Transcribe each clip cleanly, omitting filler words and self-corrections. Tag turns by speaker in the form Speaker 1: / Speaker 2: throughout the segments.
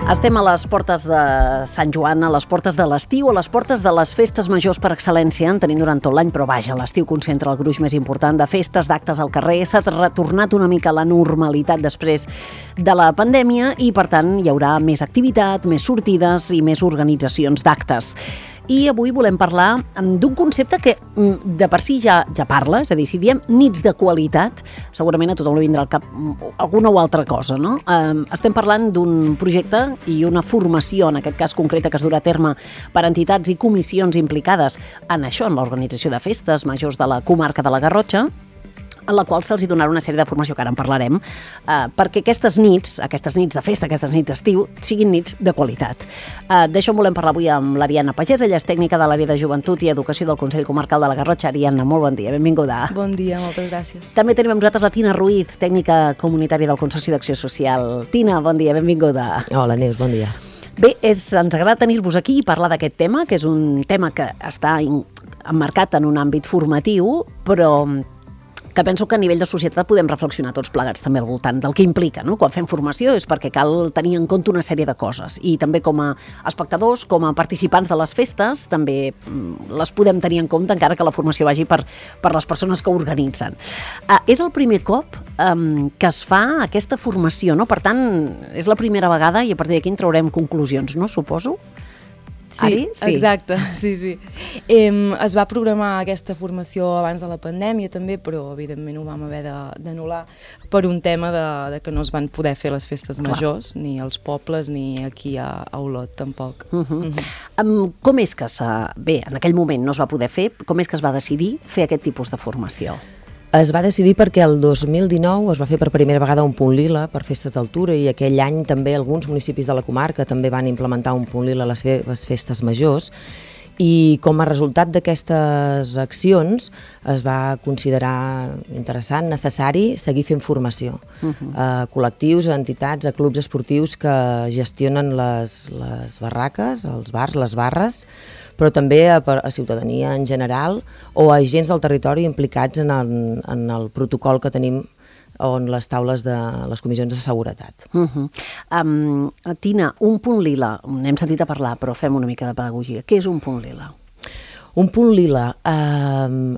Speaker 1: Estem a les portes de Sant Joan, a les portes de l'estiu, a les portes de les festes majors per excel·lència. En tenim durant tot l'any, però vaja, l'estiu concentra el gruix més important de festes, d'actes al carrer. S'ha retornat una mica a la normalitat després de la pandèmia i, per tant, hi haurà més activitat, més sortides i més organitzacions d'actes. I avui volem parlar d'un concepte que de per si ja parla, és a dir, si diem nits de qualitat, segurament a tothom li vindrà al cap alguna o altra cosa, no? Estem parlant d'un projecte i una formació, en aquest cas concreta, que es durà a terme per entitats i comissions implicades en això, en l'organització de festes majors de la comarca de la Garrotxa, en la qual se'ls donarà una sèrie de formació, que ara en parlarem, perquè aquestes nits de festa, aquestes nits d'estiu, siguin nits de qualitat. D'això en volem parlar avui amb l'Ariadna Pagès, ella és tècnica de l'àrea de Joventut i Educació del Consell Comarcal de la Garrotxa. Ariadna, molt bon dia, benvinguda.
Speaker 2: Bon dia, moltes gràcies.
Speaker 1: També tenim amb nosaltres la Tina Ruiz, tècnica comunitària del Consorci d'Acció Social. Tina, bon dia, benvinguda.
Speaker 3: Hola, Neus, bon dia.
Speaker 1: Bé, ens agrada tenir-vos aquí i parlar d'aquest tema, que és un tema que està emmarcat en un àmbit formatiu, però que penso que a nivell de societat podem reflexionar tots plegats també al voltant del que implica, no? Quan fem formació és perquè cal tenir en compte una sèrie de coses i també com a espectadors, com a participants de les festes, també les podem tenir en compte encara que la formació vagi per les persones que organitzen. És el primer cop que es fa aquesta formació, no? Per tant, és la primera vegada i a partir d'aquí en traurem conclusions, no? Suposo?
Speaker 2: Sí, exacte, sí. Es va programar aquesta formació abans de la pandèmia també, però evidentment ho vam haver d'anul·lar per un tema de que no es van poder fer les festes majors, ni als pobles ni aquí a Olot tampoc.
Speaker 1: Com és que bé, en aquell moment no es va poder fer, com és que es va decidir fer aquest tipus de formació?
Speaker 3: Es va decidir perquè el 2019 es va fer per primera vegada un punt lila per festes d'altura i aquell any també alguns municipis de la comarca també van implementar un punt lila a les seves festes majors i com a resultat d'aquestes accions es va considerar interessant, necessari seguir fent formació a col·lectius, a entitats, a clubs esportius que gestionen les barraques, els bars, les barres, però també a ciutadania en general o a agents del territori implicats en el protocol que tenim on les taules de les comissions de seguretat.
Speaker 1: Tina, un punt lila, n'hem sentit a parlar, però fem una mica de pedagogia. Què és un punt lila?
Speaker 3: Un punt lila,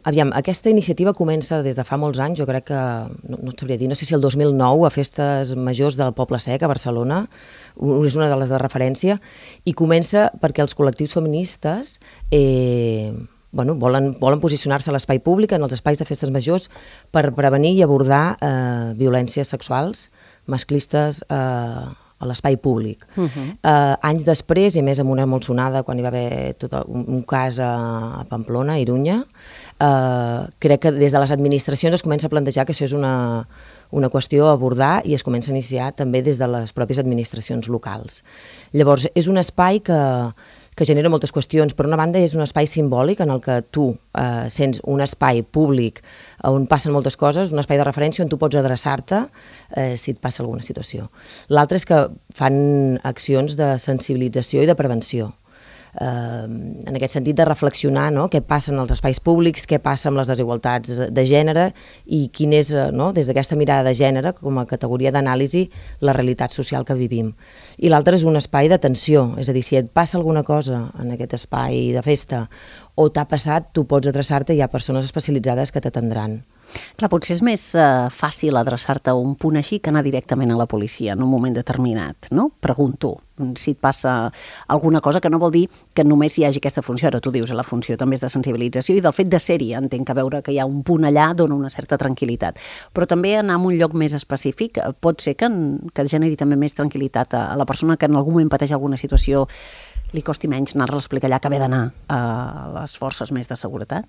Speaker 3: aviam, aquesta iniciativa comença des de fa molts anys, jo crec que, no et sabria dir, no sé si el 2009 a festes majors del Poble Sec a Barcelona, és una de les de referència, i comença perquè els col·lectius feministes volen posicionar-se a l'espai públic, en els espais de festes majors, per prevenir i abordar violències sexuals masclistes a l'espai públic. Anys després, i més amb una molt sonada, quan hi va haver tot un cas a Pamplona, a Irunya, crec que des de les administracions es comença a plantejar que això és una qüestió a abordar i es comença a iniciar també des de les pròpies administracions locals. Llavors, és un espai que genera moltes qüestions. Per una banda, és un espai simbòlic en el que tu sents un espai públic on passen moltes coses, un espai de referència on tu pots adreçar-te si et passa alguna situació. L'altre és que fan accions de sensibilització i de prevenció. En aquest sentit de reflexionar què passa en els espais públics, què passa amb les desigualtats de gènere i quin és, des d'aquesta mirada de gènere, com a categoria d'anàlisi, la realitat social que vivim. I l'altre és un espai d'atenció, és a dir, si et passa alguna cosa en aquest espai de festa o t'ha passat, tu pots adreçar-te i hi ha persones especialitzades que t'atendran.
Speaker 1: Clar, potser és més fàcil adreçar-te a un punt així que anar directament a la policia en un moment determinat, no? Pregunto si et passa alguna cosa, que no vol dir que només hi hagi aquesta funció, ara tu dius, la funció també és de sensibilització i del fet de ser-hi, entenc que veure que hi ha un punt allà dona una certa tranquil·litat, però també anar a un lloc més específic pot ser que generi també més tranquil·litat a la persona que en algun moment pateix alguna situació, li costi menys anar-la a explicar allà que haver d'anar a les forces més de seguretat?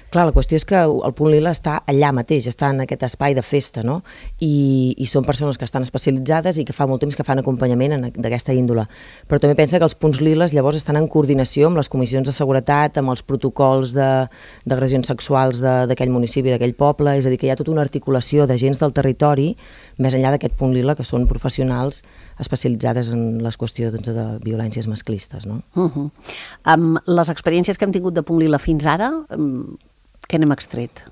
Speaker 3: Clar, la qüestió és que el punt lila està allà mateix, està en aquest espai de festa, no? I són persones que estan especialitzades i que fa molt temps que fan acompanyament d'aquesta índole. Però també pensa que els punts liles llavors estan en coordinació amb les comissions de seguretat, amb els protocols d'agressions sexuals d'aquell municipi, d'aquell poble, és a dir, que hi ha tota una articulació d'agents del territori, més enllà d'aquest punt lila, que són professionals especialitzades en les qüestions de violències masclistes, no?
Speaker 1: Amb les experiències que hem tingut de punt lila fins ara, què n'hem extret?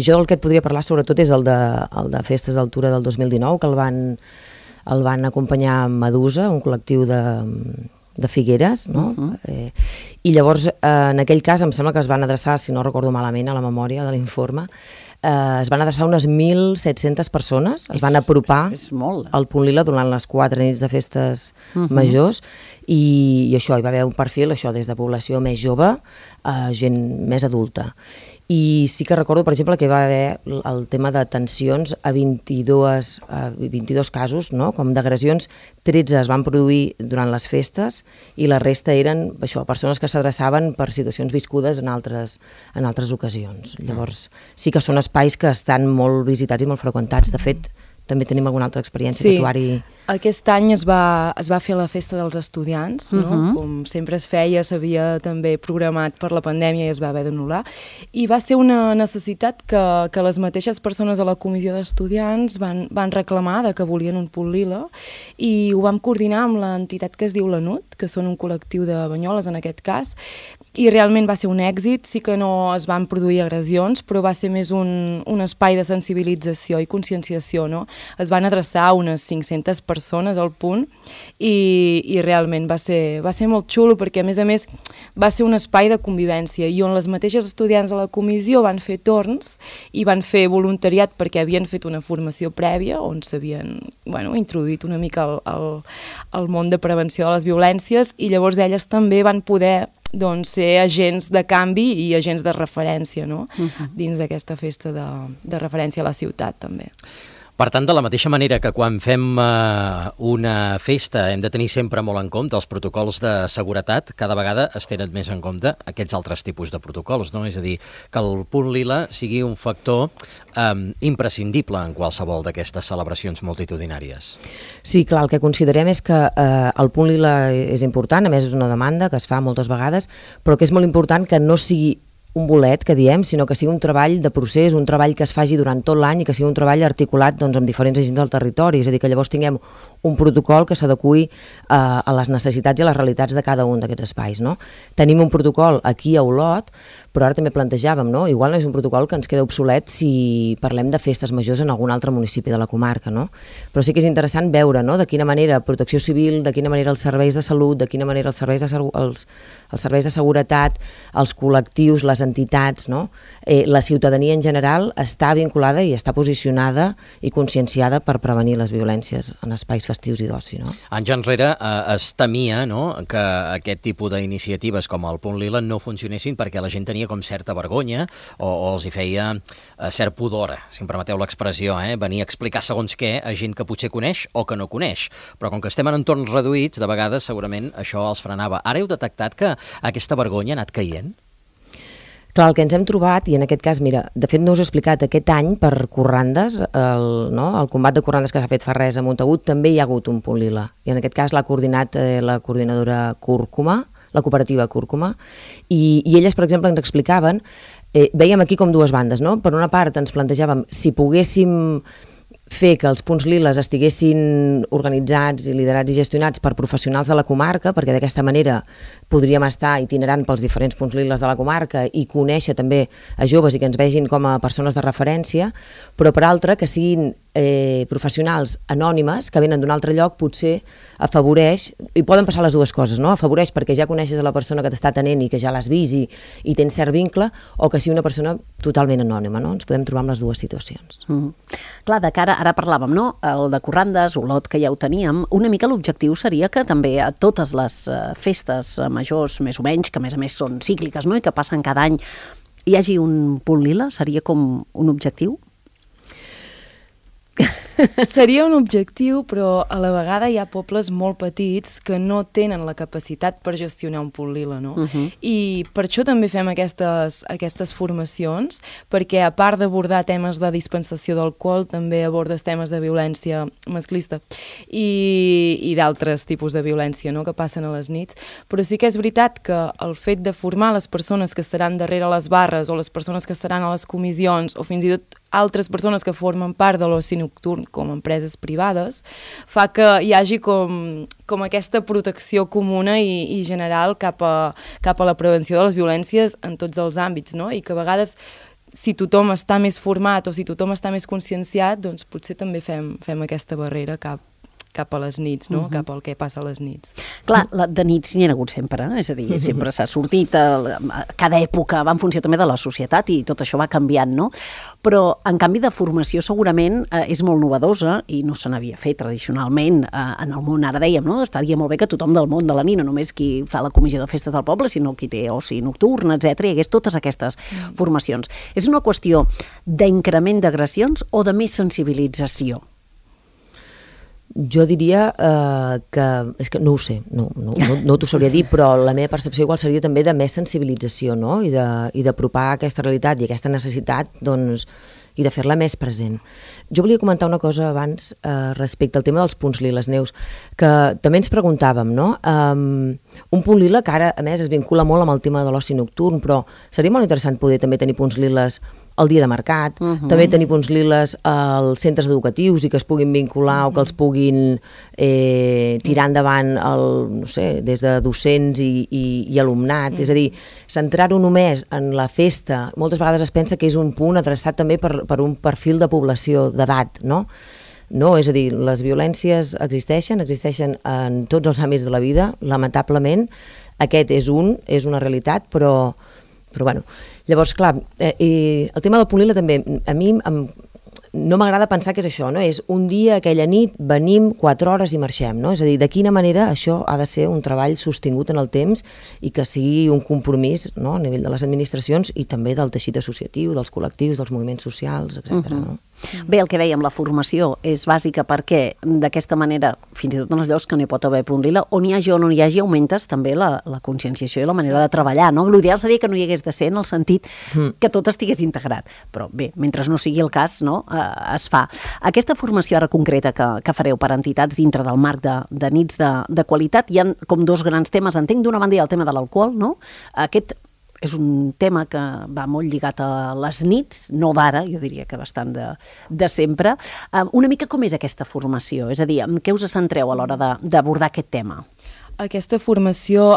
Speaker 3: Jo el que et podria parlar sobretot és el de Festes d'Altura del 2019, que el van el van acompanyar Medusa, un col·lectiu de Figueres, no? I llavors, en aquell cas, em sembla que es van adreçar, si no recordo malament, a la memòria de l'informe, es van adreçar unes 1.700 persones, es van apropar al Punt Lila durant les 4 nits de festes majors, i això, hi va haver un perfil, això, des de població més jove a gent més adulta. I sí que recordo, per exemple, que hi va haver el tema de tensions a 22 casos, no? Com d'agressions, 13 es van produir durant les festes i la resta eren això, persones que s'adreçaven per situacions viscudes en altres ocasions. Llavors, sí que són espais que estan molt visitats i molt freqüentats. De fet, també tenim alguna altra experiència que trobar-hi...
Speaker 2: Aquest any es va fer la festa dels estudiants, no? Com sempre es feia, s'havia també programat per la pandèmia i es va haver d'anul·lar, i va ser una necessitat que les mateixes persones a la comissió d'estudiants van reclamar de que volien un Punt Lila, i ho vam coordinar amb l'entitat que es diu l'ANUT, que són un col·lectiu de Banyoles en aquest cas, i realment va ser un èxit. Sí que no es van produir agressions, però va ser més un espai de sensibilització i conscienciació, no? Es van adreçar a unes 500 persones al punt i realment va ser molt xulo, perquè a més va ser un espai de convivència i on les mateixes estudiants de la comissió van fer torns i van fer voluntariat perquè havien fet una formació prèvia on s'havien introduït una mica al món de prevenció de les violències, i llavors elles també van poder ser agents de canvi i agents de referència, no? Dins d'aquesta festa de referència a la ciutat també.
Speaker 4: Per tant, de la mateixa manera que quan fem una festa hem de tenir sempre molt en compte els protocols de seguretat, cada vegada es tenen més en compte aquests altres tipus de protocols, no? És a dir, que el Punt Lila sigui un factor imprescindible en qualsevol d'aquestes celebracions multitudinàries.
Speaker 3: Sí, clar, el que considerem és que el Punt Lila és important, a més és una demanda que es fa moltes vegades, però que és molt important que no sigui un bolet, que diem, sinó que sigui un treball de procés, un treball que es faci durant tot l'any i que sigui un treball articulat amb diferents agents del territori, és a dir, que llavors tinguem un protocol que s'adeqüi a les necessitats i a les realitats de cada un d'aquests espais, no? Tenim un protocol aquí a Olot, però ara també plantejàvem, no? Igual no és un protocol que ens queda obsolet si parlem de festes majors en algun altre municipi de la comarca, no? Però sí que és interessant veure, no?, de quina manera Protecció Civil, de quina manera els serveis de salut, de quina manera els serveis de seguretat, els col·lectius, les entitats, no?, la ciutadania en general està vinculada i està posicionada i conscienciada per prevenir les violències en espais festius i d'oci, no?
Speaker 4: Anys enrere es temia, no?, que aquest tipus d'iniciatives com el Punt Lila no funcionessin perquè la gent tenia com certa vergonya o els hi feia cert pudor, si em permeteu l'expressió, venir a explicar segons què a gent que potser coneix o que no coneix. Però com que estem en entorns reduïts, de vegades segurament això els frenava. Ara heu detectat que aquesta vergonya ha anat caient?
Speaker 3: Clar, el que ens hem trobat, i en aquest cas, mira, de fet no us he explicat, aquest any per corrandes, el combat de corrandes que s'ha fet fa res a Montagut, també hi ha hagut un Punt Lila, i en aquest cas l'ha coordinat la coordinadora Cúrcuma, la cooperativa Cúrcuma, i elles, per exemple, ens explicaven, veiem aquí com dues bandes, no? Per una part ens plantejàvem si poguéssim fer que els punts liles estiguessin organitzats i liderats i gestionats per professionals de la comarca, perquè d'aquesta manera podríem estar itinerant pels diferents punts liles de la comarca i conèixer també a joves i que ens vegin com a persones de referència, però per altra que siguin professionals anònimes que venen d'un altre lloc, potser afavoreix, i poden passar les dues coses, no? Afavoreix perquè ja coneixes a la persona que t'està atenent i que ja l'has vist i tens cert vincle, o que sigui una persona totalment anònima, no? Ens podem trobar amb les dues situacions.
Speaker 1: Clar, de cara, ara parlàvem, no?, el de corrandes, Olot, que ja ho teníem, una mica l'objectiu seria que també a totes les festes majors, més o menys, que a més són cícliques, no?, i que passen cada any, hi hagi un Punt Lila, seria com un objectiu?
Speaker 2: Seria un objectiu, però a la vegada hi ha pobles molt petits que no tenen la capacitat per gestionar un Punt Lila, no? I per això també fem aquestes formacions, perquè a part d'abordar temes de dispensació d'alcohol, també abordes temes de violència masclista i d'altres tipus de violència, no?, que passen a les nits. Però sí que és veritat que el fet de formar les persones que estaran darrere les barres o les persones que estaran a les comissions o fins i tot altres persones que formen part de l'oci nocturn com empreses privades, fa que hi hagi com aquesta protecció comuna i general cap a la prevenció de les violències en tots els àmbits, no? I que a vegades, si tothom està més format o si tothom està més conscienciat, doncs potser també fem aquesta barrera cap cap a les nits, no? Cap al que passa a les nits.
Speaker 1: Clar, de nits n'hi ha hagut sempre, és a dir, sempre s'ha sortit, cada època va en funció també de la societat i tot això va canviant, no? Però, en canvi, de formació segurament és molt novedosa i no se n'havia fet tradicionalment en el món, ara dèiem, no? Estaria molt bé que tothom del món de la nit, no només qui fa la comissió de festes del poble, sinó qui té oci nocturn, etc., hi hagués totes aquestes formacions. És una qüestió d'increment d'agressions o de més sensibilització?
Speaker 3: Jo diria que... És que no ho sé, no t'ho sabria dir, però la meva percepció igual seria també de més sensibilització, no? I d'apropar aquesta realitat i aquesta necessitat, doncs, i de fer-la més present. Jo volia comentar una cosa abans respecte al tema dels punts liles, Neus, que també ens preguntàvem, no? Un punt lila que ara, a més, es vincula molt amb el tema de l'oci nocturn, però seria molt interessant poder també tenir punts liles el dia de mercat, també tenir punts liles als centres educatius i que es puguin vincular o que els puguin tirar endavant no sé, des de docents i alumnat. És a dir, centrar-ho només en la festa, moltes vegades es pensa que és un punt adreçat també per un perfil de població d'edat, no? No, és a dir, les violències existeixen en tots els àmbits de la vida, lamentablement. Aquest és una realitat, però bueno, llavors, clar, el tema del punt lila també, a mi no m'agrada pensar que és això, no? És un dia, aquella nit, venim 4 hores i marxem, no? És a dir, de quina manera això ha de ser un treball sostingut en el temps i que sigui un compromís, no? A nivell de les administracions i també del teixit associatiu, dels col·lectius, dels moviments socials, etc. No?
Speaker 1: Bé, el que dèiem, la formació és bàsica perquè d'aquesta manera, fins i tot en els llocs que no hi pot haver punt lila, on hi hagi o no hi hagi, augmentes també la conscienciació i la manera de treballar, no? L'ideal seria que no hi hagués de ser en el sentit que tot estigués integrat, però bé, mentre no sigui el cas, no? Es fa. Aquesta formació ara concreta que fareu per entitats dintre del marc de nits de qualitat, hi ha com 2 grans temes, entenc, d'una banda hi ha el tema de l'alcohol, no? Aquest és un tema que va molt lligat a les nits, no d'ara, jo diria que bastant de sempre. Una mica com és aquesta formació? És a dir, en què us centreu a l'hora d'abordar aquest tema?
Speaker 2: Aquesta formació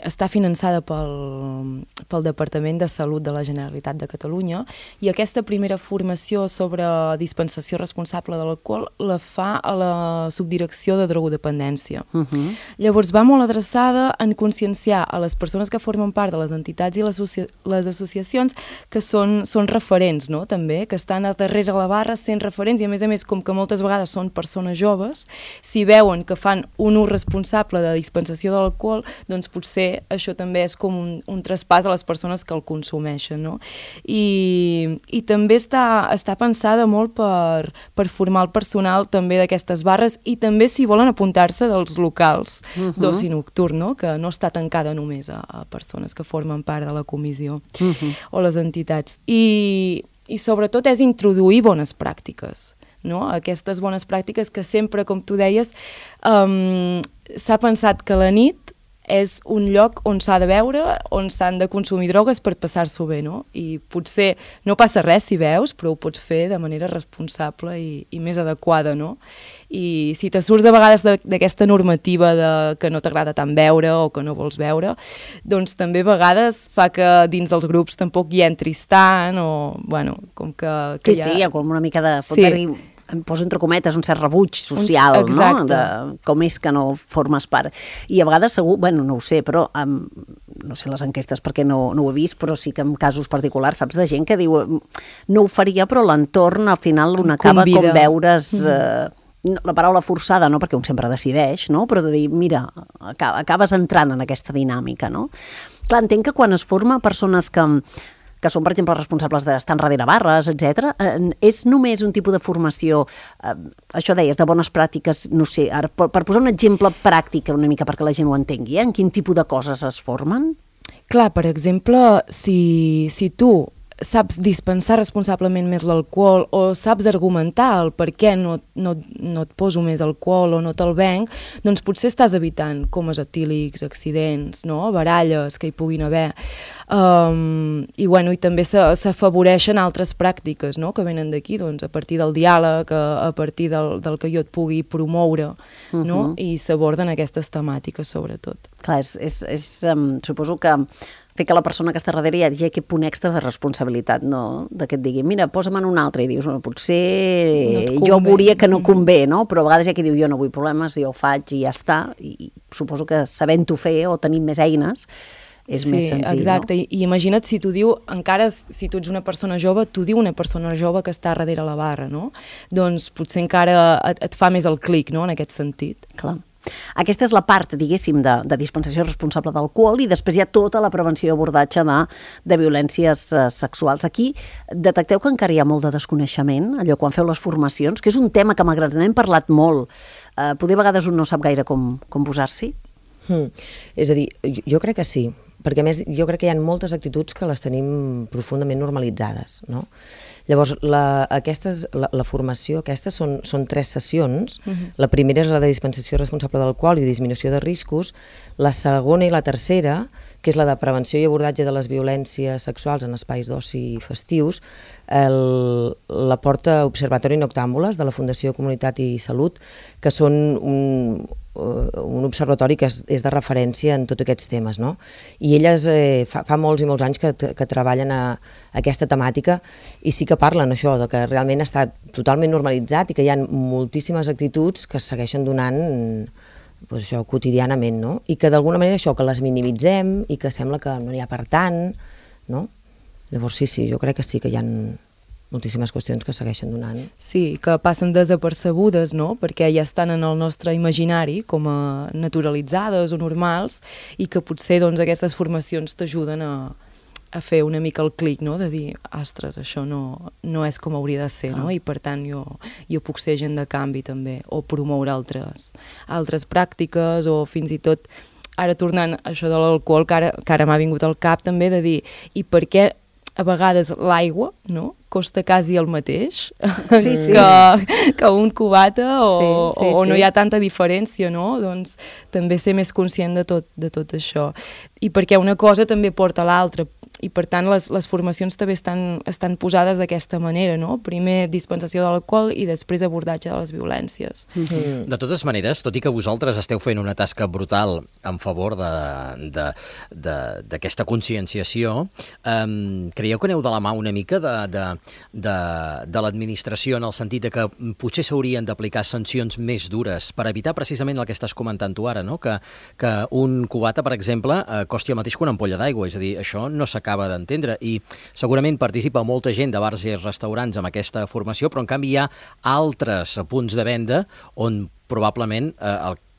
Speaker 2: està finançada pel Departament de Salut de la Generalitat de Catalunya i aquesta primera formació sobre dispensació responsable de l'alcohol la fa a la Subdirecció de Drogodependència. Llavors va molt adreçada en conscienciar a les persones que formen part de les entitats i les associacions que són referents, no? També, que estan a darrere la barra sent referents i a més, com que moltes vegades són persones joves, si veuen que fan un ús responsable de dispensació de l'alcohol, doncs potser això també és com un traspàs a les persones que el consumeixen, no? I també està pensada molt per formar el personal també d'aquestes barres i també si volen apuntar-se dels locals d'oci nocturn, no? Que no està tancada només a persones que formen part de la comissió o les entitats. I sobretot és introduir bones pràctiques, no? Aquestes bones pràctiques que sempre, com tu deies, s'ha pensat que la nit és un lloc on s'ha de beure, on s'han de consumir drogues per passar-s'ho bé, no? I potser no passa res si beus, però ho pots fer de manera responsable i més adequada, no? I si te surts de vegades d'aquesta normativa que no t'agrada tant beure o que no vols beure, doncs també a vegades fa que dins dels grups tampoc hi entris tant o, bueno, com que
Speaker 1: sí, hi ha com una mica de... Sí. Em poso entre cometes un cert rebuig social, no? De com és que no formes part. I a vegades segur, bueno, no ho sé, però no sé les enquestes perquè no ho he vist, però sí que en casos particulars saps de gent que diu no ho faria, però l'entorn al final un acaba com veure's... la paraula forçada, no? Perquè un sempre decideix, no? Però de dir, mira, acabes entrant en aquesta dinàmica, no? Clar, entenc que quan es forma persones que són, per exemple, responsables d'estar darrere barres, etc. És només un tipus de formació, això deies, de bones pràctiques, no sé, ara, per posar un exemple pràctic una mica perquè la gent ho entengui, en quin tipus de coses es formen?
Speaker 2: Clar, per exemple, si tu saps dispensar responsablement més l'alcohol o saps argumentar el per què no et poso més alcohol o no te'l venc, doncs potser estàs evitant comes etílics, accidents, no? Baralles que hi puguin haver. I també s'afavoreixen altres pràctiques, no? Que venen d'aquí, doncs, a partir del diàleg, a partir del que jo et pugui promoure, no? I s'aborden aquestes temàtiques, sobretot.
Speaker 1: Clar, suposo que fer que la persona que està darrere hi hagi aquest punt extra de responsabilitat, no? De que et digui, mira, posa'm en un altre, i dius, bueno, potser jo veuria que no convé, no? Però a vegades hi ha qui diu, jo no vull problemes, jo ho faig i ja està, i suposo que sabent-ho fer o tenint més eines és més senzill,
Speaker 2: exacte.
Speaker 1: no?
Speaker 2: I imagina't si t'ho diu, encara si tu ets una persona jove, t'ho diu una persona jove que està darrere la barra, no? Doncs potser encara et fa més el clic, no?, en aquest sentit.
Speaker 1: Clar. Aquesta és la part, diguéssim, de dispensació responsable d'alcohol, i després hi ha tota la prevenció i abordatge de violències sexuals. Aquí detecteu que encara hi ha molt de desconeixement, allò quan feu les formacions, que és un tema que malgrat n'hem parlat molt, poder a vegades un no sap gaire com posar-s'hi?
Speaker 3: És a dir, jo crec que sí, perquè a més jo crec que hi ha moltes actituds que les tenim profundament normalitzades, no? Llavors, la formació, aquestes són 3 sessions. La primera és la de dispensació responsable d'alcohol i disminució de riscos. La segona i la tercera, que és la de prevenció i abordatge de les violències sexuals en espais d'oci festius, la porta Observatori Noctàmbules de la Fundació Comunitat i Salut, que són un observatori que és de referència en tots aquests temes, no? I elles fa molts i molts anys que treballen a aquesta temàtica, i sí que parlen això, de que realment està totalment normalitzat i que hi ha moltíssimes actituds que es segueixen donant això quotidianament, no? I que d'alguna manera això, que les minimitzem i que sembla que no n'hi ha per tant, no? Llavors sí, jo crec que sí que hi ha moltíssimes qüestions que segueixen donant.
Speaker 2: Sí, que passen desapercebudes, no?, perquè ja estan en el nostre imaginari com a naturalitzades o normals, i que potser doncs, aquestes formacions t'ajuden a fer una mica el clic, no?, de dir, ostres, això no és com hauria de ser, no?, i per tant jo puc ser agent de canvi també, o promoure altres pràctiques, o fins i tot, ara tornant a això de l'alcohol, que ara m'ha vingut al cap també, de dir, i per què a vegades l'aigua, no?, costa quasi el mateix que un cubata, o no hi ha tanta diferència, no? Doncs també ser més conscient de tot això. I perquè una cosa també porta a l'altra, i per tant les formacions també estan posades d'aquesta manera, no? Primer dispensació de l'alcohol i després abordatge de les violències.
Speaker 4: De totes maneres, tot i que vosaltres esteu fent una tasca brutal en favor d'aquesta conscienciació, creieu que aneu de la mà una mica de l'administració, en el sentit de que potser s'haurien d'aplicar sancions més dures per evitar precisament el que estàs comentant tu ara, no? Que un cubata, per exemple, costi el mateix que una ampolla d'aigua, és a dir, això no s'acaba d'entendre, i segurament participa molta gent de bars i restaurants amb aquesta formació, però en canvi hi ha altres punts de venda on probablement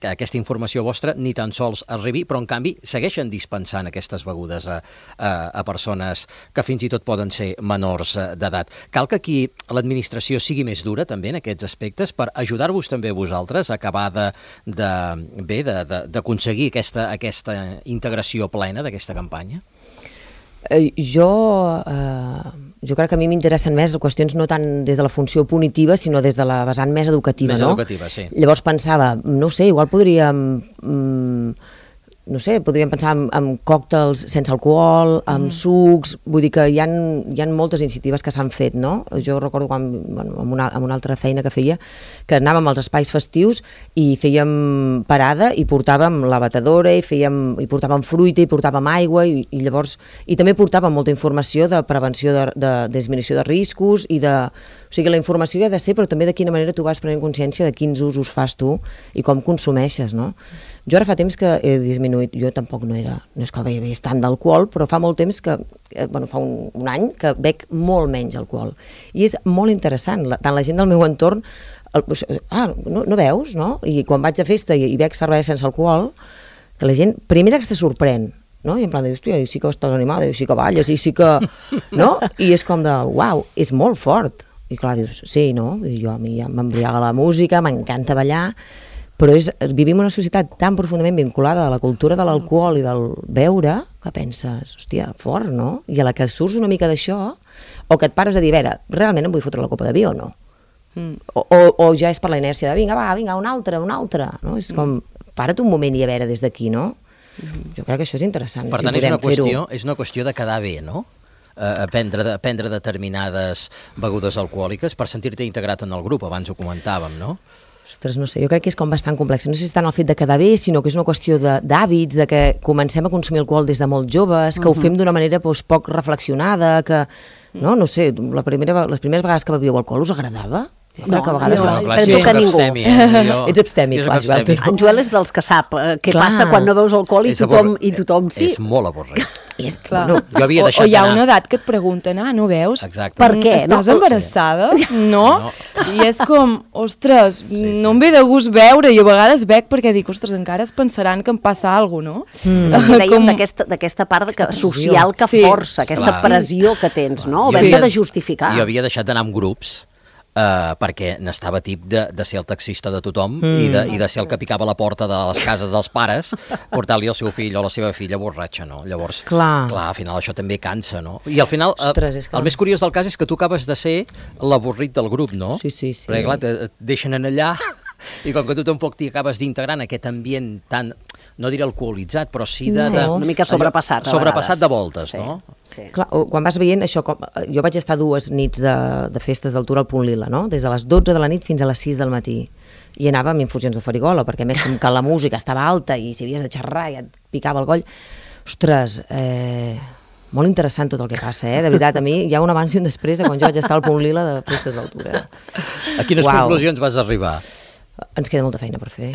Speaker 4: aquesta informació vostra ni tan sols arribi, però en canvi segueixen dispensant aquestes begudes a persones que fins i tot poden ser menors d'edat. Cal que aquí l'administració sigui més dura també en aquests aspectes per ajudar-vos també vosaltres a acabar d'aconseguir aquesta integració plena d'aquesta campanya?
Speaker 3: Jo crec que a mi m'interessen més qüestions no tant des de la funció punitiva, sinó des de la vessant més educativa,
Speaker 4: no?
Speaker 3: Més
Speaker 4: educativa, sí.
Speaker 3: Llavors pensava, no sé, igual podríem pensar en còctels sense alcohol, en sucs, vull dir que hi ha moltes iniciatives que s'han fet, no? Jo recordo quan, amb una altra feina que feia, que anàvem als espais festius i fèiem parada i portàvem la batedora i portàvem fruita i portàvem aigua i llavors, i també portàvem molta informació de prevenció de disminució de riscos i de... O sigui, la informació ha de ser, però també de quina manera tu vas prenent consciència de quins usos fas tu i com consumeixes, no? Jo ara fa temps que he disminuït, jo tampoc no és que begués tant d'alcohol, però fa molt temps que, fa un any, que bec molt menys alcohol. I és molt interessant, tant la gent del meu entorn, no veus, no? I quan vaig a festa i bec cervesa sense alcohol, que la gent, primera que se sorprèn, no? I en plan de, hòstia, i sí que estàs animada, i sí que balles, i sí que... no? I és com de, uau, és molt fort. I clar, dius, sí, no? I a mi ja m'embriaga la música, m'encanta ballar, però vivim una societat tan profundament vinculada a la cultura de l'alcohol i del beure que penses, hòstia, fort, no? I a la que surts una mica d'això, o que et pares a dir, a veure, realment em vull fotre la copa de vi o no? O ja és per la inèrcia de, vinga, una altra, no? És com, para't un moment i a veure des d'aquí, no? Jo crec que això és interessant.
Speaker 4: Per tant, és una qüestió de quedar bé, no? Prendre determinades begudes alcohòliques per sentir-te integrat en el grup, abans ho comentàvem, no?
Speaker 3: Ostres, no sé, jo crec que és com bastant complex. No sé si és tant el fet de quedar bé, sinó que és una qüestió d'hàbits, de que comencem a consumir alcohol des de molt joves, que ho fem d'una manera poc reflexionada, que, no sé, les primeres vegades que bevíeu alcohol us agradava? Jo crec que a vegades...
Speaker 1: però tu que ningú.
Speaker 3: Ets abstèmic, clar, Joel.
Speaker 1: En Joel és dels que sap què passa quan no veus alcohol i tothom sí.
Speaker 4: És molt avorrit.
Speaker 2: Clar.
Speaker 4: Jo havia deixat
Speaker 2: o hi ha una edat que et pregunten, no veus?
Speaker 4: Exacte.
Speaker 1: Per què?
Speaker 2: Estàs embarassada? No? I és com, ostres, no em ve de gust veure, i a vegades bec perquè dic, ostres, encara es pensaran que em passa alguna cosa, no?
Speaker 1: És el que dèiem d'aquesta part social que força, aquesta pressió que tens, no? Haver-te de justificar.
Speaker 4: Jo havia deixat d'anar amb grups perquè n'estava tip de ser el taxista de tothom i de ser el que picava la porta de les cases dels pares, portar-li el seu fill o la seva filla borratxa, no? Llavors, clar, al final això també cansa, no? I al final, el més curiós del cas és que tu acabes de ser l'avorrit del grup, no?
Speaker 3: Sí.
Speaker 4: Perquè clar, et deixen en allà i com que tu tampoc t'hi acabes d'integrar en aquest ambient tan, no diré alcoholitzat, però sí de...
Speaker 1: una mica sobrepassat, a
Speaker 4: sobrepassat de voltes, no?
Speaker 3: Sí. Clar, quan vas veient això, jo vaig estar 2 nits de festes d'altura al Punt Lila, no? Des de les 12 de la nit fins a les 6 del matí. I anava amb infusions de farigola, perquè a més com que la música estava alta i si havies de xerrar i et picava el coll. Ostres, molt interessant tot el que passa, de veritat. A mi hi ha un abans i un després de quan jo vaig estar al Punt Lila de festes d'altura.
Speaker 4: A quines conclusions vas arribar?
Speaker 3: Ens queda molta feina per fer.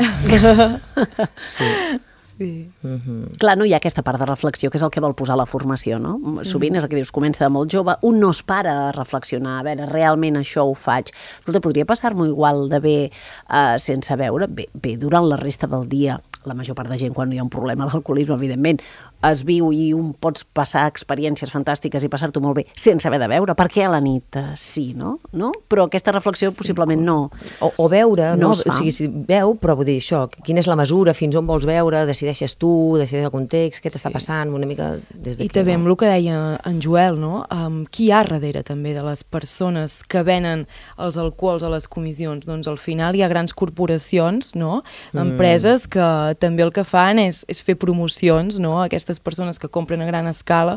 Speaker 3: Sí.
Speaker 1: Clar, no hi ha aquesta part de reflexió, que és el que vol posar la formació, no? Sovint és el que dius, comença de molt jove, un no es para a reflexionar, a veure, realment això ho faig. Escolta, podria passar-m'ho igual de bé sense veure? Bé, durant la resta del dia, la major part de gent, quan hi ha un problema d'alcoholisme, evidentment, es viu i un pots passar experiències fantàstiques i passar-t'ho molt bé sense haver de veure. Per què a la nit sí, no? Però aquesta reflexió possiblement no.
Speaker 3: O veure, no?
Speaker 1: Es fa.
Speaker 3: O sigui, si veu, però vull dir això, quina és la mesura, fins on vols veure, decideixes tu, decideixes el context, què t'està passant, una mica des d'aquí.
Speaker 2: I també amb el que deia en Joel, no? Qui hi ha darrere també de les persones que venen els alcohols a les comissions? Doncs al final hi ha grans corporacions, no? Empreses que també el que fan és fer promocions, no? Aquestes persones que compren a gran escala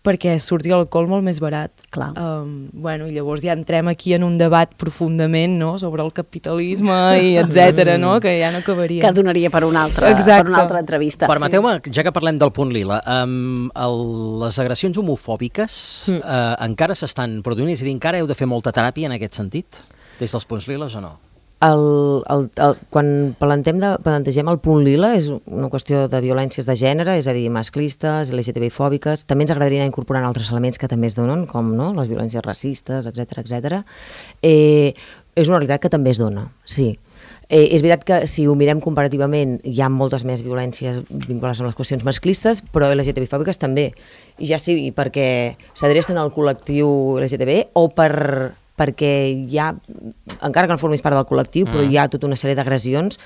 Speaker 2: perquè surti l'alcohol molt més barat.
Speaker 1: Clar.
Speaker 2: I llavors ja entrem aquí en un debat profundament, no?, sobre el capitalisme i etcètera, no?, que ja no acabaria.
Speaker 1: Que donaria per una altra entrevista.
Speaker 4: Permeteu-me, ja que parlem del Punt Lila, les agressions homofòbiques encara s'estan produint, és a dir, encara heu de fer molta teràpia en aquest sentit, des dels Punts Liles o no?
Speaker 3: Quan plantegem el Punt Lila és una qüestió de violències de gènere, és a dir, masclistes, LGTBI-fòbiques. També ens agradaria anar incorporant altres elements que també es donen, com les violències racistes, etcètera. És una realitat que també es dona, sí. És veritat que si ho mirem comparativament hi ha moltes més violències vinculades amb les qüestions masclistes, però LGTBI-fòbiques també. I ja sigui perquè s'adrecen al col·lectiu LGTB o perquè hi ha, encara que no formis part del col·lectiu, però hi ha tota una sèrie d'agressions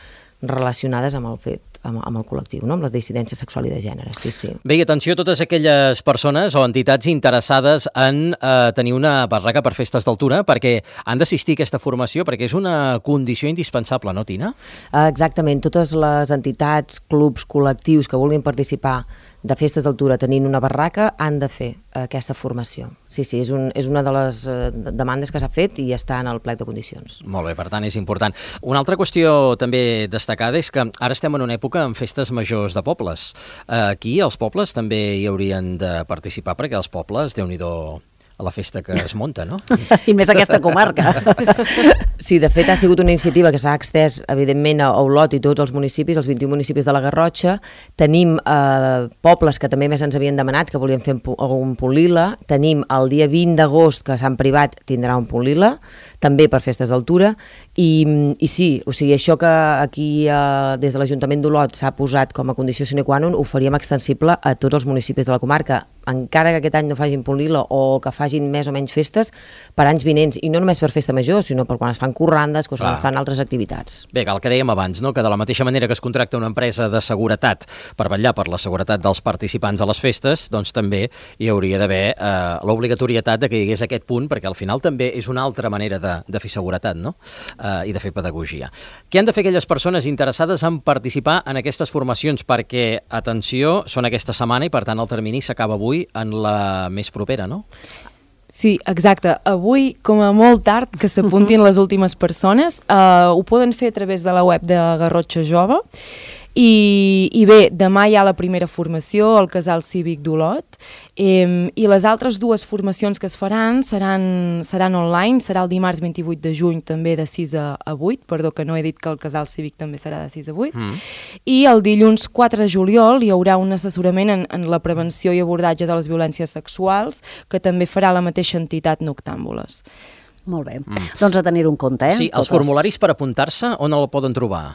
Speaker 3: relacionades amb el fet, amb el col·lectiu, no? Amb la dissidència sexual i de gènere, sí.
Speaker 4: Bé, i atenció a totes aquelles persones o entitats interessades en tenir una barraca per festes d'altura, perquè han d'assistir a aquesta formació, perquè és una condició indispensable, no, Tina? Exactament,
Speaker 3: totes les entitats, clubs, col·lectius que vulguin participar de festes d'altura tenint una barraca han de fer aquesta formació. Sí, és una de les demandes que s'ha fet i està en el plec de condicions.
Speaker 4: Molt bé, per tant és important. Una altra qüestió també destacada és que ara estem en una època amb festes majors de pobles. Aquí els pobles també hi haurien de participar perquè els pobles, Déu-n'hi-do a la festa que es munta, no?
Speaker 1: I més aquesta comarca.
Speaker 3: Sí, de fet ha sigut una iniciativa que s'ha extès evidentment a Olot i tots els municipis, els 21 municipis de la Garrotxa. Tenim pobles que també més ens havien demanat que volien fer un Punt Lila. Tenim el dia 20 d'agost que Sant Privat tindrà un Punt Lila, també per festes d'altura. I sí, o sigui, això que aquí des de l'Ajuntament d'Olot s'ha posat com a condició sine qua non ho faríem extensible a tots els municipis de la comarca, encara que aquest any no facin Punt Lila o que facin més o menys festes per anys vinents, i no només per festa major, sinó per quan es fan corrandes, quan es fan altres activitats.
Speaker 4: Bé, el que dèiem abans, no? Que de la mateixa manera que es contracta una empresa de seguretat per vetllar per la seguretat dels participants a les festes, doncs també hi hauria d'haver l'obligatorietat de que hi hagués aquest punt, perquè al final també és una altra manera de fer seguretat, no? I de fer pedagogia. Què han de fer aquelles persones interessades en participar en aquestes formacions? Perquè, atenció, són aquesta setmana i per tant el termini s'acaba avui en la més propera, no?
Speaker 2: Sí, exacte. Avui, com a molt tard, que s'apuntin les últimes persones, ho poden fer a través de la web de Garrotxa Jove. I bé, demà hi ha la primera formació al Casal Cívic d'Olot i les altres dues formacions que es faran seran online, serà el dimarts 28 de juny també de 6 a 8, perdó que no he dit que el Casal Cívic també serà de 6 a 8, i el dilluns 4 de juliol hi haurà un assessorament en la prevenció i abordatge de les violències sexuals que també farà la mateixa entitat Noctàmbules.
Speaker 1: Molt bé, doncs a tenir-ho en compte.
Speaker 4: Sí, els formularis per apuntar-se on el poden trobar?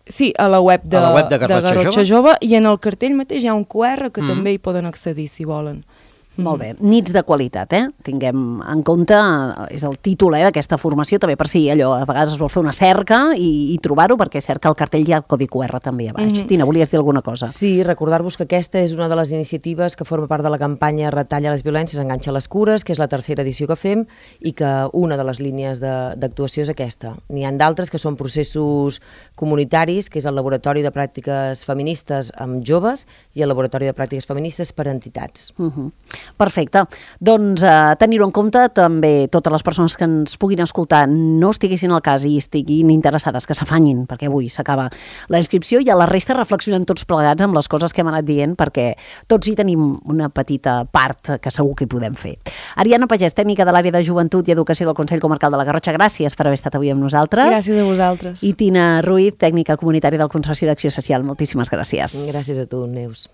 Speaker 2: Sí, a la web de
Speaker 4: Garrotxa
Speaker 2: Jove i en el cartell mateix hi ha un QR que també hi poden accedir si volen.
Speaker 1: Molt bé, nits de qualitat, tinguem en compte, és el títol d'aquesta formació, també per si allò a vegades es vol fer una cerca i trobar-ho, perquè cerca el cartell hi ha el codi QR també a baix. Tina, volies dir alguna cosa?
Speaker 3: Sí, recordar-vos que aquesta és una de les iniciatives que forma part de la campanya Retalla les violències, enganxa les cures, que és la tercera edició que fem i que una de les línies d'actuació és aquesta. N'hi ha d'altres que són processos comunitaris, que és el Laboratori de Pràctiques Feministes amb joves i el Laboratori de Pràctiques Feministes per entitats.
Speaker 1: Perfecte. Doncs tenir-ho en compte també totes les persones que ens puguin escoltar no estiguessin al cas i estiguin interessades, que s'afanyin, perquè avui s'acaba la inscripció i a la resta reflexionem tots plegats amb les coses que hem anat dient perquè tots hi tenim una petita part que segur que hi podem fer. Ariadna Pagès, tècnica de l'àrea de Joventut i Educació del Consell Comarcal de la Garrotxa, gràcies per haver estat avui amb nosaltres.
Speaker 2: Gràcies a vosaltres.
Speaker 1: I Tina Ruiz, tècnica comunitària del Consorci d'Acció Social, moltíssimes gràcies.
Speaker 3: Gràcies a tu, Neus.